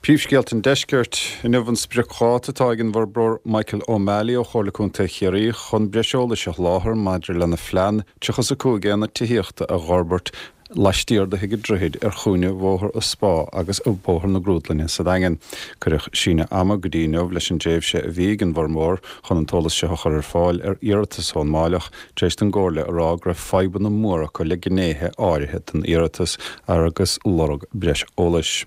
Príomhscéalta an Deiscirt. Inniu an spriocdháta atá ag an bhforbróir Michael O'Malley ó Chomhairle Contae Chiarraí chun breis eolais a sholáthar maidir lena phlean 35 aonad tithíochta a dh'fhorbairt laistiar de Thigh an Droichid ar chúinne Bhóthar an Spá agus Bhóthar na Grúdlainne sa Daingean. Cuireadh síneadh ama go dtí inniu leis an dtréimhse a bhí ag an bhforbróir chun an t-eolas seo a chur ar fáil ar iarratas ón Máilleach tar éis don gComhairle a rá go raibh fadhbanna móra acu le gnéithe áirithe den iarratas agus lorg breis eolais.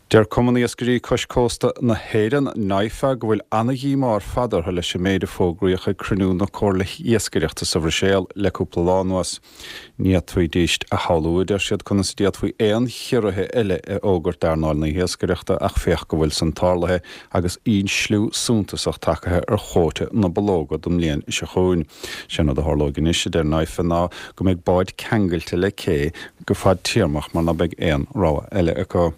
Deir Cumann Iascairí Cois Cósta na hÉireann, NIFA, go bhfuil ana-dhíomá ar fad orthu leis an méid a fógraíodh ag cruinniú na Comhairle Iascaireachta sa Bhruiséil le cúpla lá anuas. Ní fhéadfaidís a shamhlú, a deir siad, conas a d'fhéadfaí aon chiorruithe eile a fhógairt d'earnáil na hiascaireachta ach féach go bhfuil san tarlaithe agus ísliú suntasach tagtha ar chuóta na bulóga don mbliain seo chugainn. Sé an rud a tharlóidh anois, a deir NIFA, ná go mbeidh báid ceangailte le cé go fadtéarmach mar ná beidh aon rogha eile acu.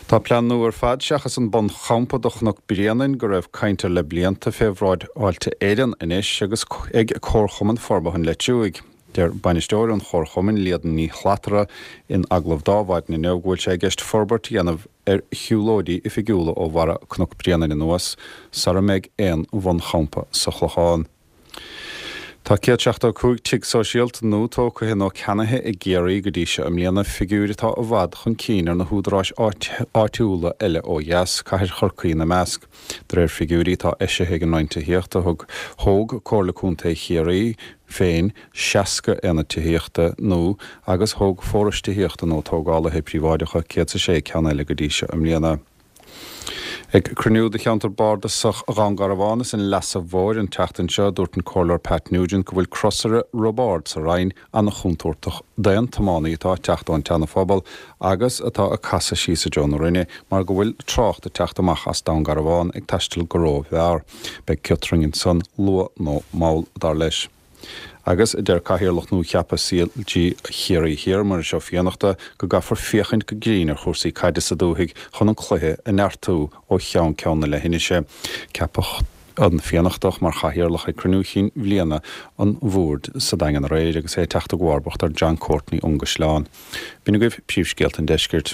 Tá plean nua ar fad seachas an bunchampa do Chnoc Bréanainn go raibh caint air le blianta fé bhráid Fháilte Éireann anois agus ag Comharchumann Forbartha an Leitriúigh. Deir bainisteoir an Chomharchumainn, Líadan Ní Shlatara, in agallamh d'Adhmhaidin inniu go bhfuil sé i gceist forbairt a dhéanamh ar shiúlóidí oifigiúla ó bharra Cnoc Bréanainn anuas sara mbeidh aon bhunchampa sa Chlochán. Tá 175 tigh sóisialta nua tógtha nó ceannaithe i gCiarraí go dtí seo i mbliana, figiúir atá i bhfad chun cinn ar na húdaráis áitiúla eile ó dheas, cathair Chorcaí ina measc. De réir figiúirí atá eisithe ag an Roinn Tithíochta, thug thóg Comhairle Contae Chiarraí féin 60 aonad tithíochta nua agus thóg forais tithíochta nó tógálaithe príobháideacha 106 ceann eile go dtí seo i mbliana. Ag cruinniú de cheantar bardasach Dhún Garbhán is an Leasa Mhóir an tseachtain seo, dúirt an Comhairleoir Pat Nugent go bhfuil crosaire Roibeárd sa Rinn an-chontúirteach d'aon tiománaí atá ag teacht ón tSeana-Phobal agus atá ag casadh síos i dtreo na Rinne mar go bhfuil trácht ag teacht amach as Dún Garbhán ag taisteal go rómhear. Beidh ciotrainn ansan luath nó mall, dar leis. Agus, a deir Cathaoirleach nua-cheaptha CLG Chiarraí Thiar, Muiris Ó Fiannachta, go gcaithfear féachaint go grinn ar chúrsaí caide sa dúthaigh chun an cluiche a neartú ó cheann ceann na leithinise. Ceapadh an Fiannachtach mar chathaoirleach ag cruinniú chinn bhliana an bhoird sa Daingean aréir agus é ag teacht i gcomharbacht ar John Courtney ón gCaisleán. B'in agaibh príomhscéalta an deiscirt.